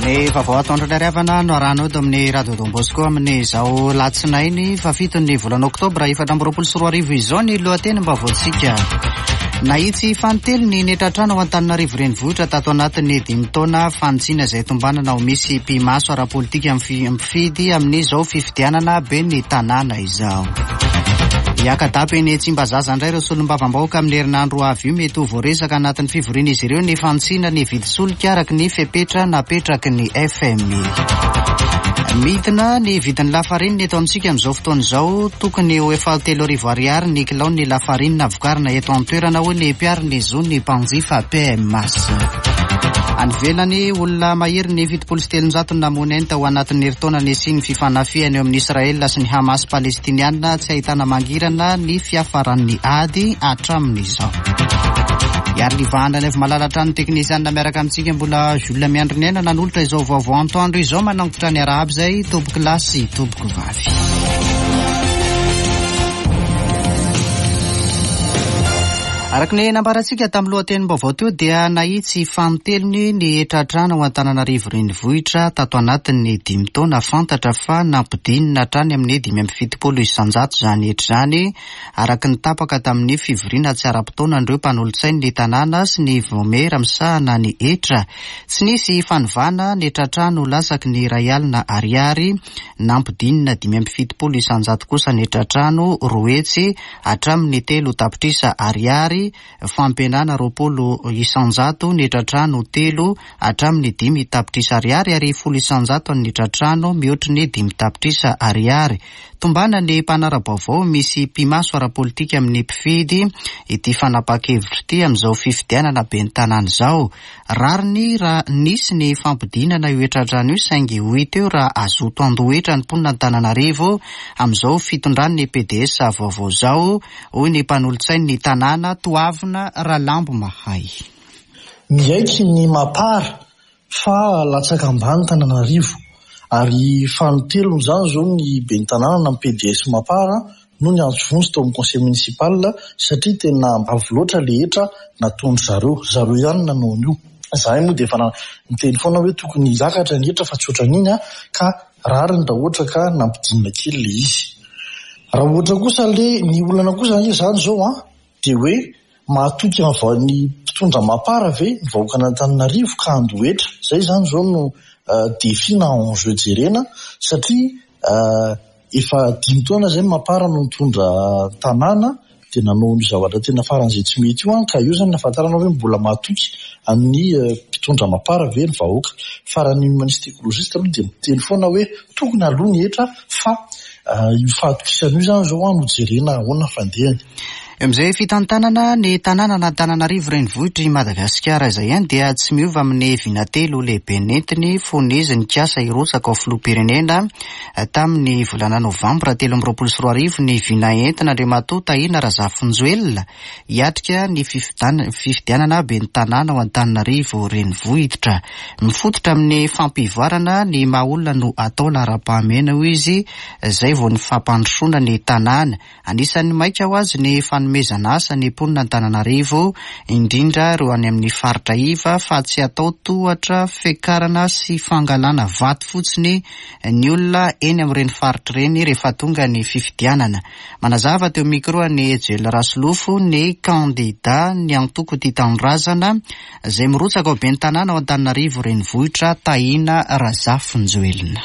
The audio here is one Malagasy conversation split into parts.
Ny vaovao atoandro ny hariavana no arahanao eto amin'ny Radio Don Bosco amin'izao latsinainy fahafiton'ny volana oktobra 2024 izao ny lohatenim-baovaontsika. Nahitsy fanintelony ny hetratrano ao Antananarivo Renivohitra tato anatin'ny dimy taona fanitsiana izay tombanana ho misy mpimaso ara-politika mpifidy amin'izao fifidianana ben'ny tanàna izao. Hiaka-dapa eny Tsimbazaza indray ireo solombavambahoaka amin'ny herinandro ho avy io. Mety ho voaresaka anatin'ny fivorian'izy ireo ny fanitsiana ny vidin-tsolika araka ny fepetra napetraky ny FMI. Midina ny vidin'ny lafarinina eto amintsika amin'izao fotoana izao. Tokony ho efa 3000 ariary ny kilaon'ny lafarinina vokarina eto an-toerana hoy ny mpiaro ny zon'ny mpanjifa PMAS. Any ivelany, olona maherin'ny 370 no namoy ny ainy tao anatin'ny herintaona nisian'ny fifanafihana eo amin'i Israel sy ny Hamas Palestiniana. Tsy ahitana mangirana ny fiafaran'ny ady hatramin'izao. Iarivahana Raivomalala hatrany teknisianina miaraka amintsika mbola Jules Miandriniaina nanolotra izao vaovao antoandro izao manangotra ny arahaba izay tompoko lahy sy tompoko vavy. Araka ny nambarantsika tamin'ny lohatenim-baovao teo dia nahitsy fanintelony ny hetratrano ao Antananarivo Renivohitra tato anatin'ny dimy taona. Fantatra fa nampidinina hatrany amin'ny 75% izany hetra izany araka ny tapaka tamin'ny fivoriana tsy ara-potoanan'ireo mpanolotsain'ny tanàna sy ny vaomiera misahana ny hetra. Tsy nisy fanovana ny hetratrano latsaky ny iray alina ariary, nampidinina 75% kosa ny hetratrano 200 hatramin'ny 3 tapitrisa ariary, fampihenana 20% ny hetratrano 3 hatramin'ny 5 tapitrisa ariary ary 10% ny hetratrano mihoatry ny 5 tapitrisa ariary. Tombana ny mpanara-baovao misy mpimaso ara-politika amin'ny mpifidy ity fanapahan-kevitra ity amin'izao fifidianana ben'ny tanàna izao. Rariny raha nisy ny fampidinana io hetratrano io saingy ho hita eo raha hazoto handoa hetra ny mponina Antananarivo amin'izao fitondran'ny pds vaovao izao, hoy ny mpanolotsain'ny tanàna Toavina Ralambomahay. Miaiky ny Mapar fa latsaka ambany Tananarivo ary fanintelony izany izao ny ben'ny tanàna na ny pds Mapar no niantso vonjy tao amin'ny conseil municipal satria tena avo loatra le hetra nataon-dry zareo, ry zareo ihany no nanao an'io. Izahay moa dia efa niteny foana hoe tokony hiakatra ny hetra fa tsy ohatran'iny ka rariny raha ohatra ka nampidinina kely le izy. Raha ohatra kosa le ny olana kosa ange izany izao an, dia hoe mahatoky ny mpitondra mapar ve ny vahoakan'Antananarivo ka handoa hetra? Izay izany izao no défi na enjeu jerena satria efa dimy taona izay ny mapar no nitondra tanàna dia nanao an'io zavatra tena faran'izay tsy mety io an, ka eo izany no ahafantarana hoe mbola mahatoky an'ny mpitondra mapar ve ny vahoaka. Fa raha ny humaniste ecologiste aloha dia miteny foana hoe tokony aloha ny hetra fa io fahatokisana io izany izao no jerena ahoana fandehany. Eo amin'izay fitantanana ny tanànan'Antananarivo renivohitr'i Madagasikara izay ihany dia tsy miova amin'ny vina telo lehibe nentiny fony izy nikasa hirotsaka ho filoham-pirenena tamin'ny volana novambra 2023 ny vina entin'Andriamatoa Tahina Razafinjoelina hiatrika ny fifidianana ben'ny tanàna ao Antananarivo renivohitra. Mifototra amin'ny fampivoarana ny maha olona no atao laharam-pahamehana hoy izy izay vao ny fampandrosoana ny tanàna. Anisan'ny maika ho azy ny fanomezana asa ny mponina Antananarivo, indrindra ireo any amin'ny faritra iva fa tsy atao tohatra fiakarana sy fangalana vato fotsiny ny olona eny amin'ireny faritra ireny rehefa tonga ny fifidianana. Manazava teo micro an'i Ejel Rasolofo ny kandida ny antoko Tia Tanindrazana izay mirotsaka ho ben'ny tanàna ao Antananarivo renivohitra Tahina Razafinjoelina.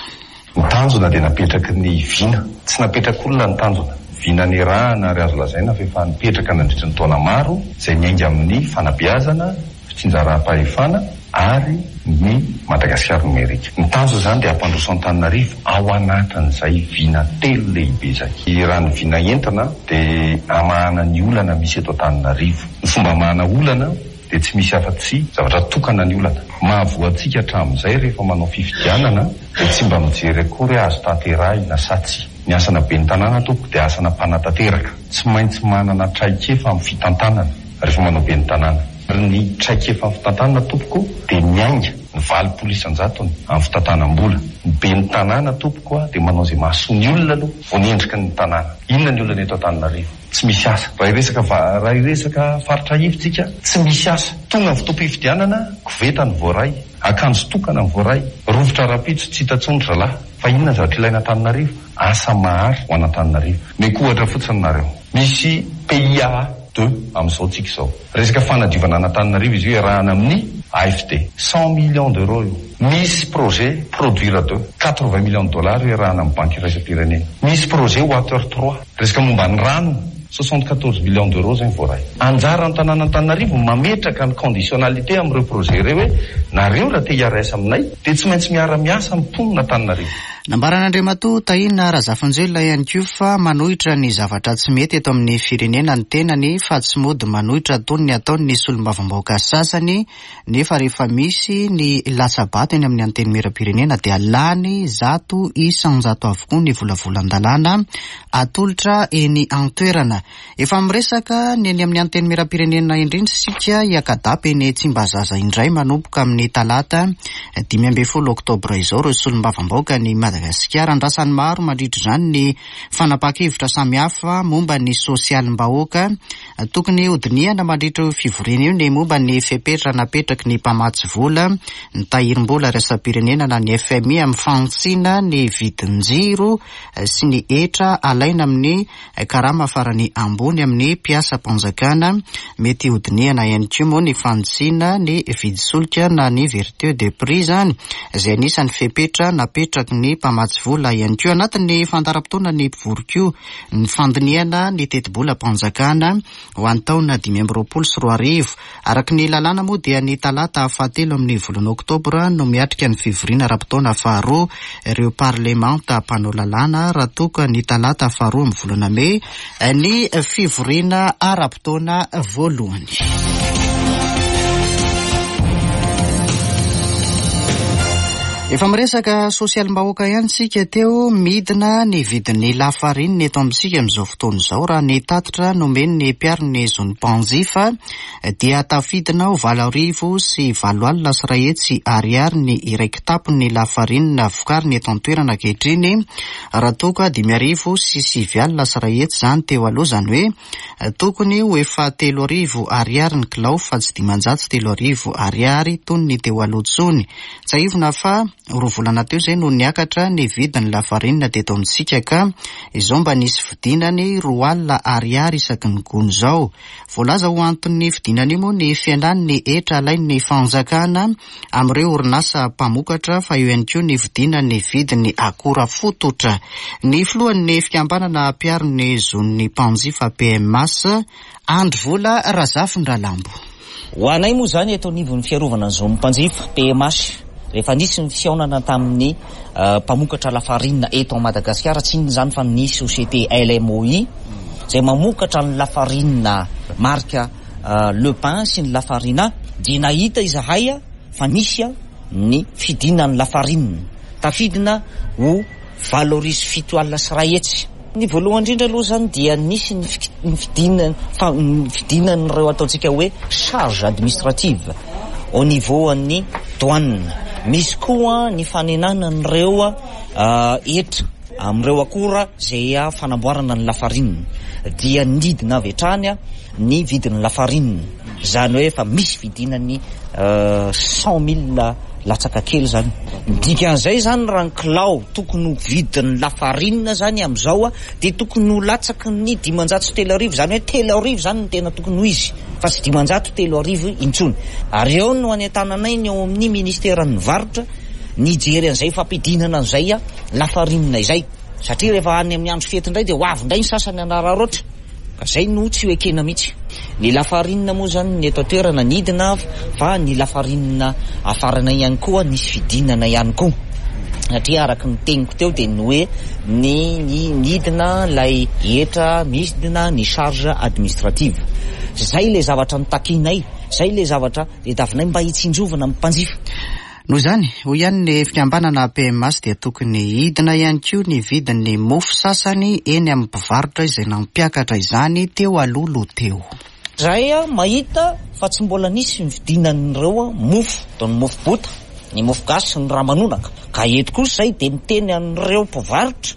Ny tanjona dia napetraky ny vina. Tsy napetrak'olona ny tanjona. Vina nirahana ary azo lazaina fa efa nipetraka nandritry ny taona maro, izay niainga amin'ny fanabeazana, fitsinjaram-pahefana ary ny Madagasikara nomerika. Ny tanjona izany dia hampandroso Antananarivo ao anatin'izay vina telo lehibe izay. Raha ny vina entina dia hamahana ny olana misy eto Antananarivo. Ny fomba hamahana olana dia tsy misy afa-tsy zavatra tokana ny olana. Mahavoa antsika hatramin'izay rehefa manao fifidianana dia tsy mba mijery akory hoe azo tanterahina sa tsia. Ny asana ben'ny tanàna tompoko dia asana mpanatanteraka. Tsy maintsy manana traikefa amin'ny fitantanana rehefa manao ben'ny tanàna. Ary ny traikefa amin'ny fitantanana tompoko dia miainga ny 80 isan-jatony amin'ny fitantanam-bola. Ny ben'ny tanàna tompoko dia manao izay mahasoa ny olona aloha vao ny endriky ny tanàna. Inona ny olana eto Antananarivo? Tsy misy asa. Raha hiresaka raha hiresaka faritra ivo tsika, tsy misy asa. Tonga ny fotoam-pifidianana, koveta ny voaray. Akanjo tokana ny voaray. Rovitra rahampitso tsy hita intsony ry zalahy. Fa inona ny zavatra ilaina Antananarivo? Asa mahary ho an'Antananarivo. Omeko ohatra fotsiny nareo. Misy PIAA deux amin'izao tsika izao. Resaka fanadiovana an'Antananarivo izy io iarahana amin'ny AFD. 100 millions d'euros io. Misy projet produire deux. 80 millions de dollars io iarahana amin'ny banky iraisam-pirenena. Misy projet water trois. Resaka momba ny rano. 74 millions d'euros zay ny voaray. Anjaran'ny tanàn'Antananarivo ny mametraka ny conditionnalité amin'ireo projet ireo hoe nareo raha te hiara-hiasa aminay dia tsy maintsy miara-miasa amin'ny mponin'Antananarivo. Nambaran'Andriamatoa Tahina Razafinjoelina ihany koa fa manohitra ny zavatra tsy mety eto amin'ny firenena ny tenany fa tsy mody manohitra toy ny ataon'ny solombavambahoaka sasany nefa rehefa misy ny latsa-bato eny amin'ny Antenimierampirenena dia lany 100% avokoa ny volavolan-dalàna atolotra eny an-toerana. Efa miresaka ny eny amin'ny Antenimierampirenena indrindra isika hiaka-dapa eny Tsimbazaza indray manomboka amin'ny talata 15 oktobra izao ireo solombavambahoakan'i Madagasikara. Andrasan'ny maro mandritra izany ny fanapahan-kevitra samihafa momba ny sosialim-bahoaka. Tokony hodinihana mandritra io fivoriana io ny momba ny fepetra napetraky ny mpamatsy vola, ny tahirim-bola iraisam-pirenena na ny FMI amin'ny fanitsiana ny vidin-jiro sy ny hetra alaina amin'ny karama farany ambony amin'ny mpiasam-panjakana. Mety hodinihana ihany koa moa ny fanitsiana ny vidin-tsolika na ny vertue de prix izany, izay anisan'ny fepetra napetraky ny mpamatsy vola ihany koa. Anatin'ny fandaharam-potoana ny mpivory koa ny fandinihana ny tetibolam-panjakana ho an'ny taona 2025. Araka ny lalàna moa dia ny talata fahatelo amin'ny volana oktobra no miatrika ny fivoriana ara-potoana faharoa ireo parlemanta mpanao lalàna raha toa ka ny talata faharoa amin'ny volana mey ny fivoriana ara-potoana voalohany. Efa miresaka sosialim-bahoaka ihany isika teo, midina ny vidin'ny lafarinina eto amintsika amin'izao fotoana izao. Raha ny tatitra nomen'ny mpiaro ny zon'ny mpanjifa dia tafidina ho 188,100 ariary ny iray kitapon'ny lafarinina vokarina eto an-toerana ankehitriny, raha toa ka 195,100 izany teo aloha, izany hoe tokony ho efa 3000 ariary ny kilao fa tsy 503 ariary toy ny teo aloha intsony. Tsiahivina fa roa volana teo izay no niakatra ny vidin'ny lafarinina teto amintsika ka izao mba nisy fidinany 20 ariary isaky ny gony izao. Voalaza ho anton'ny fidinana io moa ny fihenan'ny hetra alain'ny fanjakana amin'ireo orinasa mpamokatra fa eo ihany koa ny fidinan'ny vidin'ny akora fototra. Ny filohan'ny fikambanana mpiaro ny zon'ny mpanjifa PMH, Andry Vola Razafindralambo. Ho anay moa izany eto anivon'ny fiarovana ny zon'ny mpanjifa, PMH, rehefa nisy ny fihaonana tamin'ny mpamokatra lafarinina eto Madagasikara, tsy inona izany fa ny société LMOI, izay mamokatra ny lafarinina marika Le Pain sy ny Lafarina, dia nahita izahay fa nisy ny fidinan'ny lafarinina, tafidina ho 187. Ny voalohany indrindra aloha izany dia nisy ny ny fidinan'ireo ataontsika hoe charge administrative au niveau an'ny douane. Misy koa ny fanenana an'ireo hetra amin'ireo akora izay fanamboarana ny lafarinina. Dia nidina avy hatrany ny vidin'ny lafarinina. Izany hoe efa misy fidinany 100 000 latsaka kely izany. Ny dikan'izay izany raha ny kilao tokony ho vidin'ny lafarinina izany amin'izao dia tokony ho latsaky ny 3500, izany hoe 3000 izany no tena tokony ho izy fa tsy 503 intsony. Ary eo no anentananay ny ao amin'ny ministeran'ny varotra ny hijery an'izay fampidinana an'izay lafarinina izay satria rehefa any amin'ny andro fety indray dia ho avy indray ny sasany hanararaotra. Ka zay no tsy ho ekena mihitsy. Ny lafarinina moa zany ny eto an-toerana nidina fa ny lafarinina afarana ihany koa nisy fidinana ihany koa. Satria araka ny teniko teo dia ny hoe ny ny nidina ilay hetra midina ny charge administrative. Zay ilay zavatra notakianay, zay ilay zavatra tadiavinay mba hitsinjovana ny mpanjifa. Noho izany, hoy ihany ny fikambanana PMH dia tokony hidina ihany koa ny vidin'ny mofo sasany eny amin'ny mpivarotra izay nampiakatra izany teo alohaloha teo. Izahay mahita fa tsy mbola nisy ny fidinan'ireo mofo, toy ny mofo bota, ny mofo gasy sy ny ramanonaka. Ka eto kosa izay dia miteny an'ireo mpivarotra,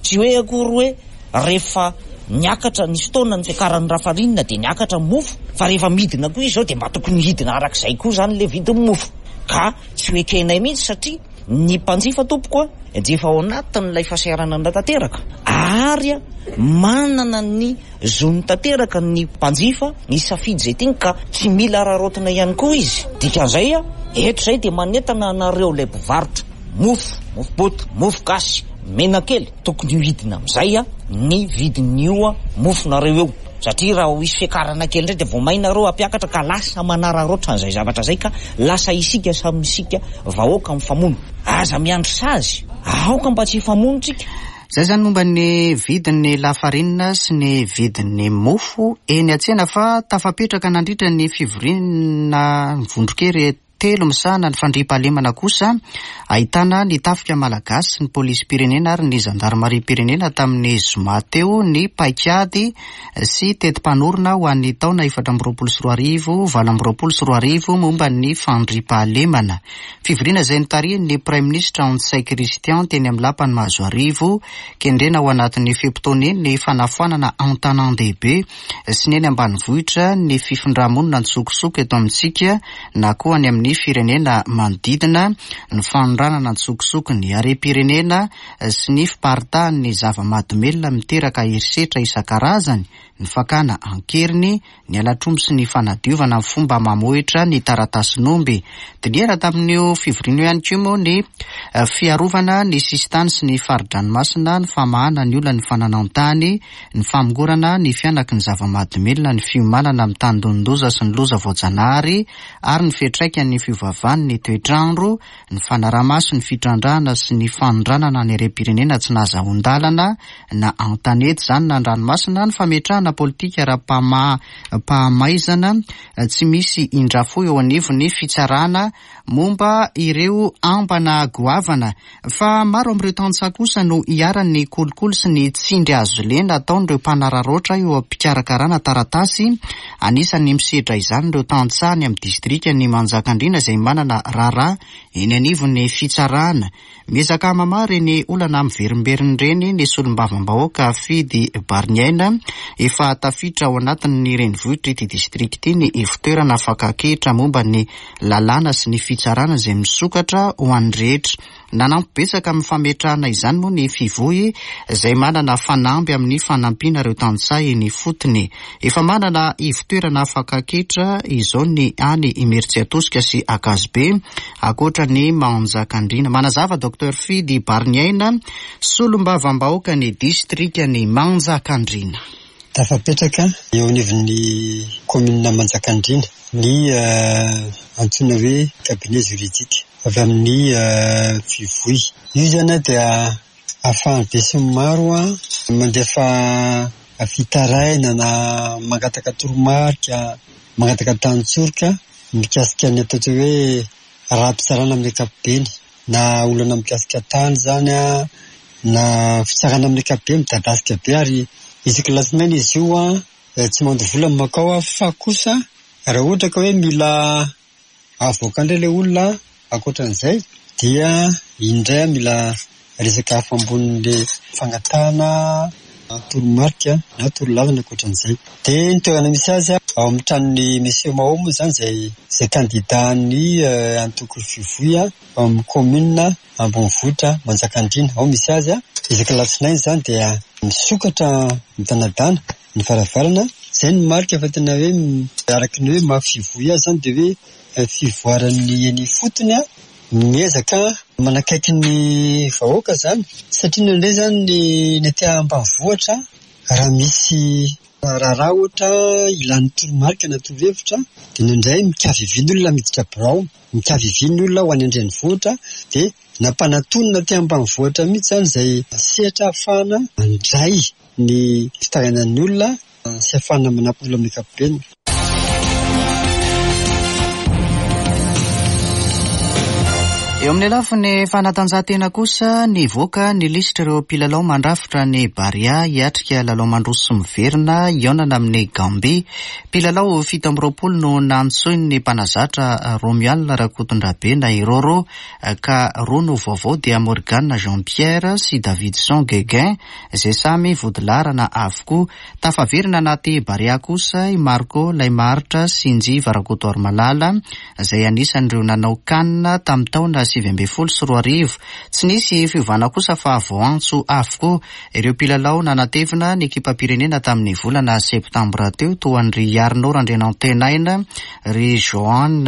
tsy hoe akory hoe rehefa niakatra, nisy fotoana ny fiakaran'ny lafarinina dia niakatra ny mofo, fa rehefa midina koa izy izao dia mba tokony hidina arak'izay koa izany ilay vidin'ny mofo. Ka. Tsy ho ekenay mihitsy satria ny mpanjifa tompoko a dia efa ao anatin'ilay fahasahiranana tanteraka ary manana ny zony tanteraka ny mpanjifa hisafidy izay tiany ka tsy mila araraotina ihany koa izy. Dikan'izay a, eto izay dia manentana anareo ilay mpivarotra mofo, mofo boto, mofo gasy, menakely, tokony ho hidina amin'izay a ny vidin'io mofonareo io. Satria raha ho hisy fiakarana kely indray dia vao may nareo hampiakatra ka lasa manararaotra an'izay zavatra izay ka lasa isika samy isika vahoaka mifamono. Aza miandry sazy, aoka mba tsy hifamono tsika. Izay izany momba ny vidin'ny lafarinina sy ny vidin'ny mofo eny an-tsena fa tafapetraka nandritra ny fivoriana vondron-kery telo misahana ny fandriampahalemana kosa ahitana ny tafika malagasy, ny polisim-pirenena ary ny zandarimariam-pirenena tamin'ny zoma teo ny paikady sy teti-panorona ho an'ny taona 2024, 2028 momba ny fandriampahalemana. Fivoriana izay notarihin'ny Praiminisitra Ntsay Christian teny amin'ny lapan'i Mahazoarivo, kendrena ao anatin'ny fe-potoana iny ny fanafoanana an-tanàn-dehibe sy ny eny ambanivohitra ny fifindra-monina an-tsokosoko eto amintsika na koa any amin'ny firenena manodidina, ny fanondranana an-tsokosoko ny harem-pirenena sy ny fiparitahan'ny zava-mahadomelina miteraka herisetra isan-karazany, ny fakana an-keriny, ny halatr'omby sy ny fanadiovana amin'ny fomba mamohitra ny taratasin'omby. Dinihana tamin'io fivoriana io ihany koa moa ny fiarovana ny sisintany sy ny fari-dranomasina, ny famahana ny olan'ny fananan-tany, ny famongorana ny fihanaky ny zava-mahadomelina, ny fiomanana amin'ny tandindon-doza sy ny loza voajanahary ary ny fiantraikan'ny fiovaovan'ny toetr'andro, ny fanaraha-maso ny fitrandrahana sy ny fanondranana ny harem-pirenena tsy nahazahoan-dalana na an-tanety izany na an-dranomasina, ny fametrahana politika ara-pamaizana tsy misy indrafo eo anivon'ny fitsarana momba ireo ambana goavana. Fa maro amin'ireo tantsaha kosa no iharan'ny kolikoly sy ny tsindry hazo lena ataon'ireo mpanararaotra eo am-pikarakarana taratasy. Anisan'ny misedra izany ireo tantsaha any amin'ny distrikan'i Manjakandriana izay manana raharaha eny anivon'ny fitsarana. Miezaka mamaha ireny olana miverimberina ireny ny solombavambahoaka Fidy Bariniaina. Efa tafiditra ao anatin'ny renivohitr'ity distrika ity ny ivontoerana fakan-ketra momba ny lalàna sy ny fitsarana izay misokatra ho an'ny rehetra. Nanampy betsaka amin'ny fametrahana izany moa ny Fivoy izay manana fanamby amin'ny fanampiana ireo tantsaha eny ifotony. Efa manana ivontoerana fakan-ketra izao ny any Imerintsiatosika sy Ankazobe, ankoatra ny Manjakandriana. Manazava Docteur Fidy Bariniaina, solombavambahoakan'ny distrikan'i Manjakandriana. Tafapetraka eo anivon'ny kaominina Manjakandriana ny antsoina hoe cabinet juridique avy amin'ny Fivoy. Io izany dia ahafahan'ny besinimaro mandefa fitarainana na mangataka toromarika, mangataka tany-tsoroka mikasika ny ataontsika hoe raha-pitsarana amin'ny ankapobeny na olana mikasika tany izany na fitsarana amin'ny ankapobeny midadasika be ary isaky ny alatsinainy izy io tsy mandoa vola ny mankao fa kosa raha ohatra ka hoe mila avoaka indray ilay olona ankoatran'izay dia iny indray mila resaka hafa ambonin'ilay fangatahana toromarika na torolalana ankoatran'izay. Dia ny toerana misy azy ao amin'ny tranon'i Monsieur Mao moa izany izay izay kandidàn'ny antoko Fivoy ao amin'ny kaominina ambonivohitra Manjakandriana. Ao misy azy. Isaky ny alatsinainy izany dia misokatra midanadana ny varavarana. Izay no marika fa tena hoe araka ny hoe maha Fivoy azy izany dia hoe fivoaran'ny eny ifotony. Miezaka manakaiky ny vahoaka izany satria indraindray izany ny aty ambanivohitra raha misy raharaha ohatra ilàny toromarika na torohevitra dia indraindray mikavivy ny olona miditra birao, mikavivy ny olona ho any an-drenivohitra dia nampanatonina aty ambanivohitra mihitsy izany izay sehatra ahafahana mandray ny fitarainan'ny olona sy ahafahana manampy olona amin'ny ankapobeny. Eo amin'ny lafiny fanatanjahantena kosa, nivoaka ny lisitr'ireo mpilalao mandrafitra ny Barea hiatrika lalao mandroso sy miverina hihaonana amin'i Gambie. Mpilalao 27 no nantsoin'ny mpanazatra Romuald Rakotondrabe na i Roro ka roa no vaovao dia Morgan Jean Pierre sy Davidson Gueguin izay samy vodilaharana avokoa. Tafaverina anaty Barea kosa i Marco Laimaharitra sy Njiva Rakotoarimalala izay anisan'ireo nanao Can tamin'ny taona 2019. Tsy nisy fiovana kosa fa voaantso avokoa ireo mpilalao nanatevina ny ekipam-pirenena tamin'ny volana septambra teo toa an-dry Arnaud Randrianantenaina, ry Johan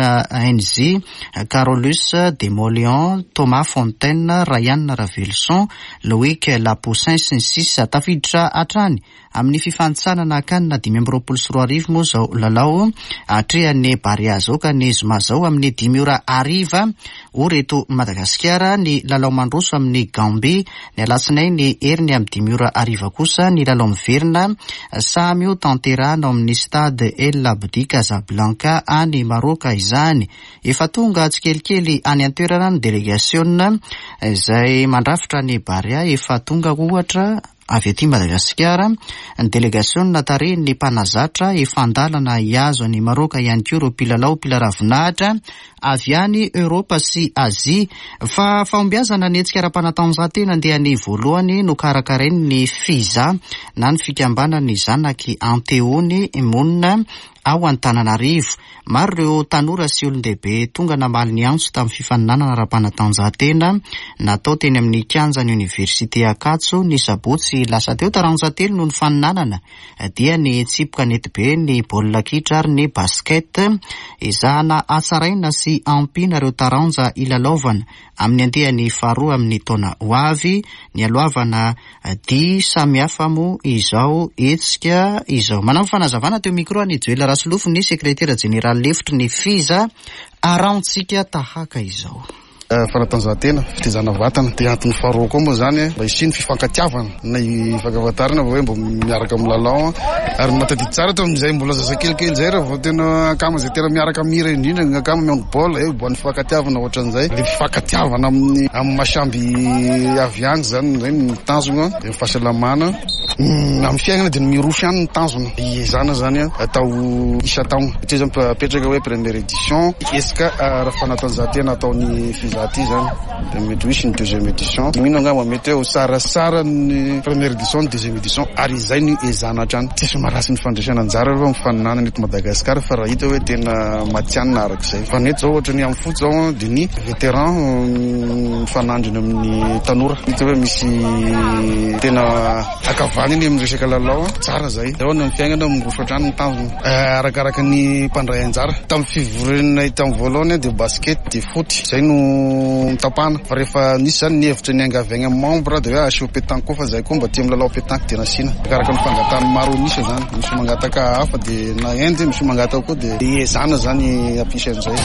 Nzi, Carolus Demoleon, Thomas Fontaine, Ryan Raveloson, Loic Lapoussin sy ny sisa Tafiditra hatrany amin'ny fifanintsanana Can 2025 moa izao lalao atrehan'ny Barea izao ka ny zoma izao amin'ny dimy ora hariva ora eto Madagasikara ny lalao mandroso amin'ny Gambie. Ny alatsinainy heriny amin'ny dimy ora hariva kosa ny lalao miverina samy ho tanterahina ao amin'ny Stade El Abdi Casablanca any Maroka izany. Efa tonga tsikelikely any an-toerana ny delegasiona izay mandrafitra ny Barea. Efa tonga ohatra avy aty Madagasikara ny delegasiona tarihin'ny mpanazatra. Efa an-dalana hihazo an'i Maroka ihany koa ireo mpilalao mpilaravinahitra avy any Eoropa sy Azia. Fa fahombiazana ny hetsika ara-panatanjahantena andiany voalohany nokarakarain'ny FIZA na ny fikambanan'ny zanak'i Anteony monina ao Antananarivo. Maro ireo tanora sy olon-dehibe tonga namaly ny antso tamin'ny fifaninanana ara-panatanjahantena natao teny amin'ny kianjan'ny Oniversite Ankatso ny sabotsy lasa teo. Taranja telo no nifaninanana dia ny tsipy kanetibe, ny baolina kitra ary ny basket. Ezahana hatsaraina sy ampiana ireo taranja hilalaovana amin'ny andiany faharoa amin'ny taona ho avy. Nialohavana Dihy samihafa moa izao hetsika izao. Manampy fanazavana teo micro an'i Joel Rasolofo ny sekretera jeneraly lefitry ny Fiza arahantsika tahaka izao. Fanatanjahantena, fitaizana vatana, dia antony faharoa koa moa izany mba hisian'ny fifankatiavana na hifankafantarana hoe mba miaraka milalao ary mahatadidy tsara tamin'izay mbola zazakelikely izay raha vao tena akama izay tena miaraka mihira indrindra ny akama mihaino baolina eh mba ny fifankatiavana ohatran'izay le fifankatiavana amin'ny amin'ny masamby avy any zany zay ny tanjona dia ny fahasalamana amin'ny fiainana dia ny miroso ihany ny tanjona iezana zany atao isan-taona satria zany apetraka hoe première édition hetsika ara-panatanjahantena ataon'ny FIZA ty zany dia mety ho hisy ny deuxième édition mino angamba mety hoe ho tsaratsara ny première édition ny deuxième édition ary izay no ezahana hatrany. Tsisy maharatsy ny fandraisana anjara aloha amin'ny faninanana eto Madagasikara fa raha hita hoe tena matihanina arak'izay. Fa ny eto zao ohatra ny amin'ny foot zao dia ny vétéran mifanandrina amin'ny tanora. Hita hoe misy tena ankavanana eny amin'ny resaka lalao. Tsara izay. Zao ny amin'ny fiainana miroso hatrany ny tanjona. Arakaraka ny mpandray anjara. Tamin'ny fivorianay tamin'ny voalohany dia basket dia foot. Izay no notapahana. Fa rehefa nisy izany ny hevitra niangavy agny amin'ny membre dia hoe asio pétanque koa fa zahay koa mba tia milalao pétanque dia nasiana. Arakaraka ny fangatahan'ny maro an'isa izany. Misy mangataka hafa dia na hand, misy mangataka koa dia iezahana izany hampisy an'izay.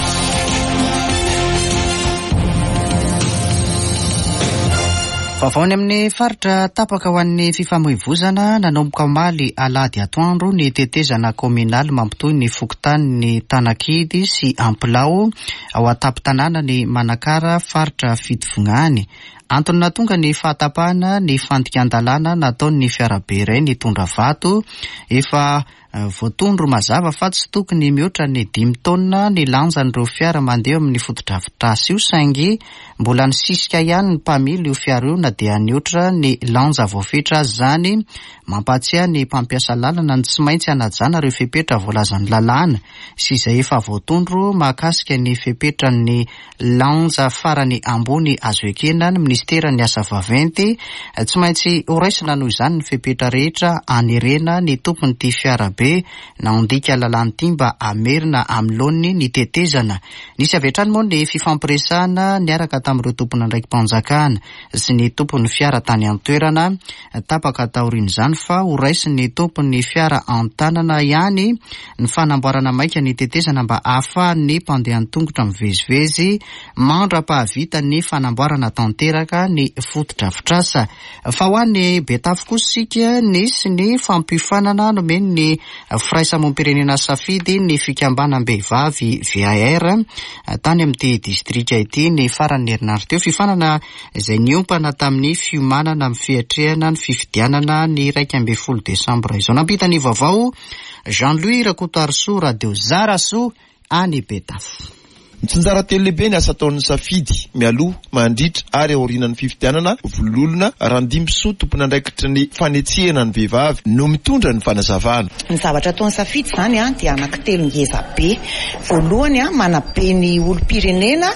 Vaovao any amin'ny faritra tapaka ho an'ny fifamoivozana nanomboka omaly alahady atoandro ny tetezana kaominaly mampitohy ny fokontanin'i Tanakidy sy Ampilao ao an-tampon-tanànan'i Manakara faritra Fitovinany. Antony nahatonga ny fahatapahana ny fandikan-dalàna nataon'ny fiarabe iray nitondra vato efa Voatondro mazava fa tsy tokony mihoatra ny dimy taonina ny lanjan'ireo fiara mandeha eo amin'ny fotodrafitrasa io saingy mbola nisisika ihany ny mpamily io fiara io na dia nihoatra ny lanja voafetra aza izany. Mampahatsiahy ny mpampiasa lalana ny tsy maintsy hanajana ireo fepetra voalazan'ny lalàna sy izay efa voatondro mahakasika ny fepetran'ny Lanja farany ambony azo ekena ny minisiteran'ny asa vaventy. Tsy maintsy horaisina noho izany ny fepetra rehetra hanerena ny tompon'ity fiarabe nandika lalàna ity mba hamerina amin'ny laoniny ny tetezana. Nisy avy hatrany moa ny fifampiresahana niaraka tamin'ireo tompon'andraiki-panjakana sy ny tompon'ny fiara tany an-toerana. Tapaka taorian'izany fa horaisin'ny tompon'ny fiara an-tanana ihany ny fanamboarana maika ny tetezana mba hahafahan'ny mpandeha an-tongotra mivezivezy mandra-pahavita ny fanamboarana tanteraka ny fotodrafitrasa. Fa ho any Betafo kosa isika, nisy ny fampiofanana nomen'ny. firaisamonim-pirenena Safidy ny fikambanam-behivavy VAR tany amin'ity distrika ity ny faran'ny herinandro teo. Fiofanana izay niompana tamin'ny fiomanana amin'ny fiatrehana ny fifidianana ny 11 desambra izao. Nampita ny vaovao Jean Louis Rakotoarisoa, Radio Zarasoa any Betafo. Mitsinjara telo lehibe ny asa ataon'ny Safidy, mialoha, mandritra ary aorianan'ny fifidianana, Vololona Randimbisoa tompon'andraikitry ny fanetsehana ny vehivavy no mitondra ny fanazavana. Ny zavatra ataon'ny Safidy izany dia anankitelo ngeza be. Voalohany, manabe ny olom-pirenena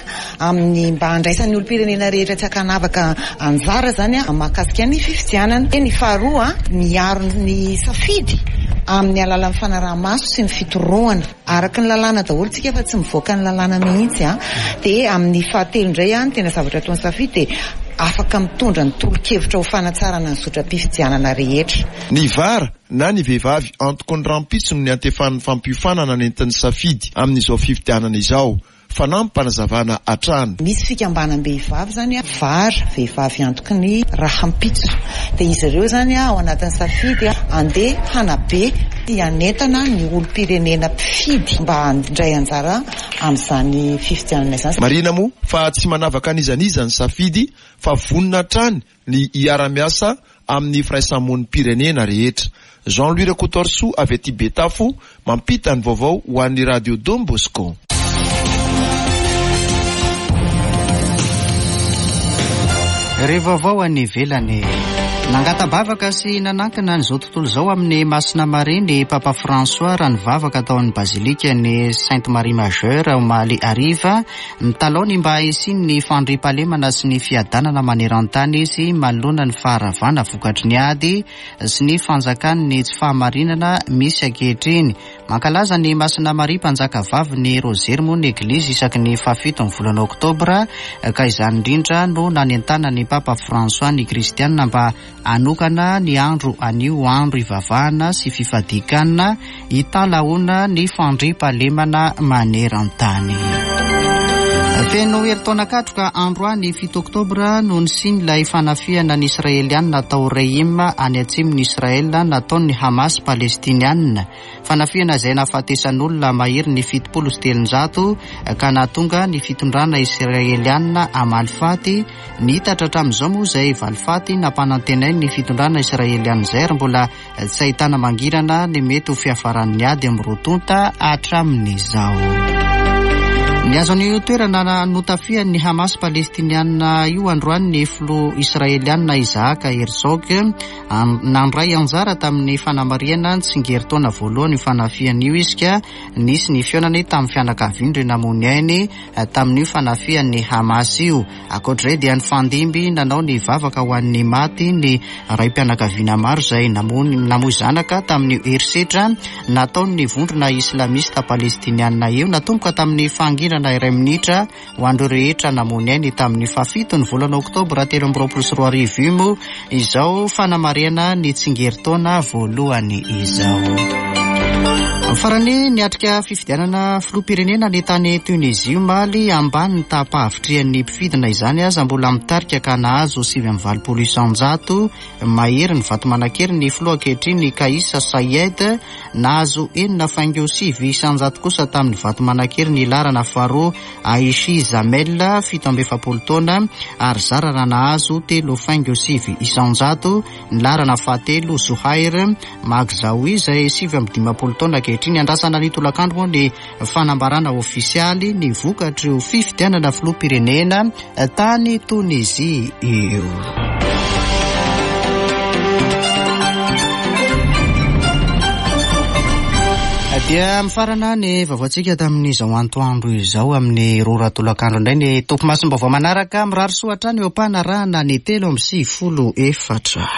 amin'ny mba handraisan'ny olom-pirenena rehetra tsy ankanavaka anjara izany mahakasika ny fifidianana. Ny faharoa, miaro ny safidy amin'ny alalan'ny fanaraha-maso sy ny fitorohana. Araka ny lalàna daholo tsika fa tsy mivoaka ny lalàna mihitsy an. Dia amin'ny fahatelo indray an, ny tena zavatra ataon'ny Safidy dia afaka mitondra ny tolo-kevitra ho fanatsarana ny zotram-pifidianana rehetra. Ny vara na ny vehivavy antoky ny rahampitso no niantefan'ny fampiofanana nentin'ny Safidy amin'izao fifidianana izao. Fanampim-panazavana hatrany. Misy fikambanam-behivavy izany var, vehivavy antoky ny rahampitso. Dia izy ireo izany ao anatin'ny safidy andeha hanabe sy hanentana ny olom-pirenena mpifidy mba handray anjara amin'izany fifidianana izany. Marihina moa fa tsy manavaka an'iza n'iza ny safidy fa vonona hatrany ny hiara-miasa amin'ny firaisamonim-pirenena rehetra. Jean Louis Rakotoarisoa avy aty Betafo mampita ny vaovao ho an'ny Radio Don Bosco. Re vaovao any ivelany. Nangata-bavaka sy nanankina an'izao tontolo izao amin'i Masina Maria ny Papa François raha nivavaka tao amin'ny Bazilikan'i Sainte Marie Majeure omaly hariva. Mitalaho ny mba hisian'ny fandriampahalemana sy ny fiadanana maneran-tany izy manoloana ny faharavana vokatry ny ady sy ny fanjakan'ny tsy fahamarinana misy ankehitriny. Mankalaza ny Masina Maria Mpanjaka Vavin'ny Rozery moa ny Eglizy isaky ny fahafiton'ny volana Oktobra ka izany indrindra no nanentanan'ny Papa François ny Kristianina mba Hanokana ny andro anio ho andro ivavahana sy fifadian-kanina hitalahoana ny fandriampahalemana maneran-tany. Feno herintaona katroka androany 7 oktobra no nisian'ilay fanafihana ny Israelianina tao Reim any atsimon'i Israel nataon'ny Hamas Palestiniana. Fanafihana izay nahafatesan'olona maherin'ny 370 ka nahatonga ny fitondrana Israelianina hamaly faty. Niitatra hatramin'izao moa izay valifaty nampanantenain'ny fitondrana Israelianina izay ary mbola tsy ahitana mangirana ny mety ho fiafaran'ny ady amin'ny roa tonta hatramin'izao. Nihazo an'io toerana notafihan'ny Hamas Palestiniana io androany ny filoha Israelianina Isaac Herzog. Nandray anjara tamin'ny fanamarihana ny tsingerin-taona voalohany io fanafihana io izy ka nisy ny fihaonany tamin'ny fianakaviany ireo namoy ny ainy tamin'io fanafihan'ny Hamas io. Ankoatra izay dia nifandimby nanao ny vavaka ho an'ny maty ny raim-pianakaviana maro izay namoy zanaka tamin'io herisetra nataon'ny vondrona islamista palestiniana io. Natomboka tamin'ny fahanginana iray minitra Ho an'ireo rehetra namoy ny ainy tamin'ny fahafito ny volana oktobra 2023 io moa izao fanamarihana ny tsingerin-taona voalohany izao. Farany, niatrika fifidianana filoham-pirenena ny tany Tunisie omaly, ambany ny taham-pahavitrihan'ny mpifidy na izany aza mbola mitarika ka nahazo 89% mahery ny vato manan-kery ny filoha ankehitriny Kais Saied. Nahazo 6.9% kosa tamin'ny vato manan-kery ny laharana faharoa Aichi Zamel, 47 taona, ary zara raha nahazo 3.9% ny laharana fahatelo Zouhair Maghzaoui izay 59 taona ankehitriny. Andrasana ny tolakandro moa ny fanambarana ofisialy ny vokatr'io fifidianana filoham-pirenena tany Tonizia io. Dia mifarana ny vaovaontsika tamin'izao antoandro izao amin'ny roa ora tolakandro indray ny topimasom-baovao manaraka. Mirary soa hatrany eo am-panarahana ny 93 4.